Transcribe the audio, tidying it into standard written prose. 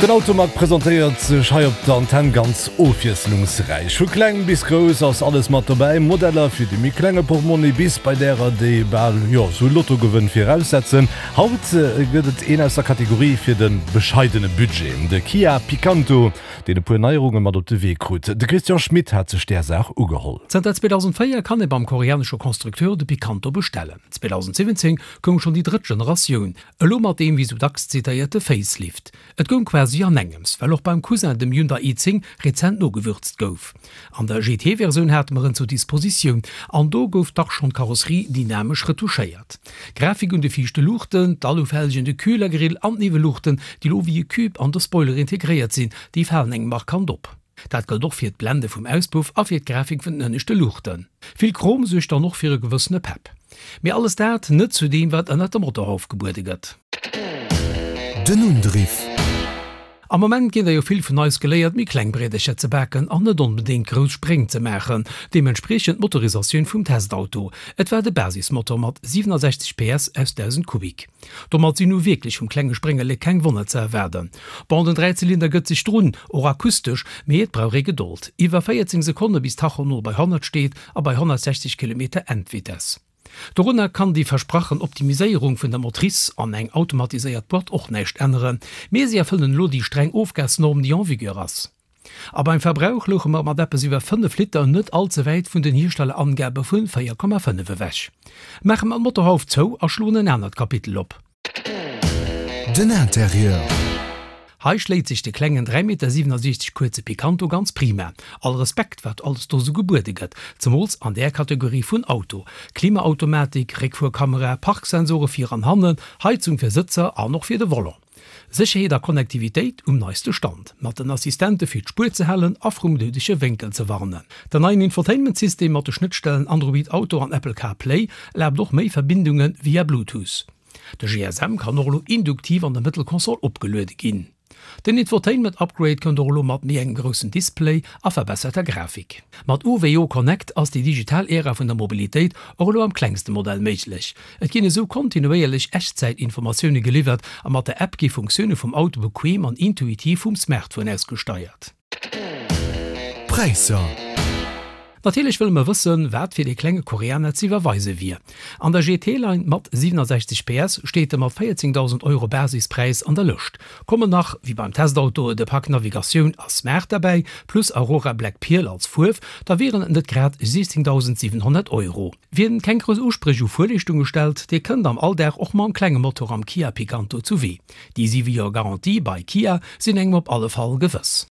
Den Automag presentéiert sech hei op der Antenn ganz ofwiesslungsräich. Vu kleng bis grouss ass alles mat dobäi, Modeller fir de méi klenge Portmonni bis bei därer, déi bal, jo, sou Lottogewënn viraussetzen. Haut gëtt et een aus der Kategorie fir de bescheidene Budget, de Kia Picanto, deen e puer Neierunge mat op de Wee krut. De Christian Schmit hat sech där Saach ugeholl. Zanter 2004 kann ee beim koreanesche Constructeur de Picanto bestellen. 2017 koum schonn déi drëtt Generatioun, Elo mat deem wéi sou dacks zitéierte Facelift. Et goung quasi an engems, well och beim Cousin, dem Hyundai i10, rezent nogewürzt gouf. An der GT-Versioun hate mer en zur Dispositioun, an do gouf dach schonn d'Karosserie dynamesch retouchéiert. D'Grafik un de viischte Luuchten, d'Alufelgen, de Kühlergrill an d'Niwwelluuchten, déi lo wéi e Cube an de Spoiler integréiert sinn, déi falen engem markant op. Dat gëllt och fir d'Blende vum Auspuff a fir d'Grafik vun den ënneschte Luuchten. Vill Chrom suergt dann och fir e gewëssene Pepp. Mee alles dat net zu deem wat ënnert dem Motorhauf gebuede gëtt. Den Undriff. Am Moment ginn der jo vill vun eis geléiert méi kleng Briedercher ze baken an net onbedéngt grouss Spréng ze maachen. Deementspriechend d'Motorisatioun vum Testauto. Et war de Basismotor mat 67 PS aus 1000 Kubik. Domat sinn nu wierklech vum klenge Spréngelek keng Wonner ze erwaarden. Bon, den Dräizylinder gëtt sech drun, och akustesch, mee et brauch ee Gedold. Iwwer 14 Sekonne bis d'Tachonol bei 100 steet a bei 160 Kilometer Endvitess. Dorunner kann déi versprachen Optimiséierung vun der Motrice an eng automatiséiert Boîte och näischt änneren, mee si erfëllen elo déi streng Ofgasnorm, déi en vigueur ass. A beim Verbrauch louche mer mat eppes iwwer 5 Liter net all ze wäit vun den Hierstellerangabe vu 4,5 ewech. Maache mer d'Motorhauf zou a schloen en anert Kapitel op. Den Interieur. Hei schléit sech de klengen 3,67 Meter kuerze Picanto ganz prima. All Respekt wat alles do sou gebuede gëtt, zemools an där Kategorie vun Auto. Klimaautomatik, Réckfuerkamera, Parksensore vir an hannen, Heizung fir Sëtzer an och fir de Volant. Sécherheet a Connectivitéit um neiste Stand, mat den Assistente fir d'Spuer ze halen a vrum doudege Wénkel ze warnen. Den neien Infotainment-System mat de Schnëttstellen Android Auto an Apple CarPlay erlaabt och méi Verbindunge via Bluetooth. De GSM kann och elo induktiv an der Mëttelkonsol opgeluede ginn. Den Infotainment-Upgrade kënnt och elo mat méi engem groussen Display a verbesserter Grafik. Mat UVO Connect ass déi digital Ära vun der Mobilitéit och elo am klengste Modell méiglech. Et ginn esou kontinuéierlech Echtzäitinformatioune geliwwert a mat der App gi Funktioune vum Auto bequem an intuitiv vum Smartphone aus gesteiert. Präisser. Natierlech wëlle mer wëssen, wat fir dee klenge Koreaner ze iwwerweise wier. An der GT-Line mat 67 PS steet e mat 14.000 Euro Basispräis an der Lëscht. Kommen nach, wéi beim Testauto, de Pak Navigatioun a Smart derbäi, plus Aurora Black Pearl als Fuerf, da wieren et net grad 16.700 Euro. Wien keng grouss Uspréch u Fuerleeschtunge stellt, dee kënnt am Alldag och mam klenge Motor am Kia Picanto zu Wee. Déi 7 Joer Garantie bei Kia sinn engem op alle Fall gewëss.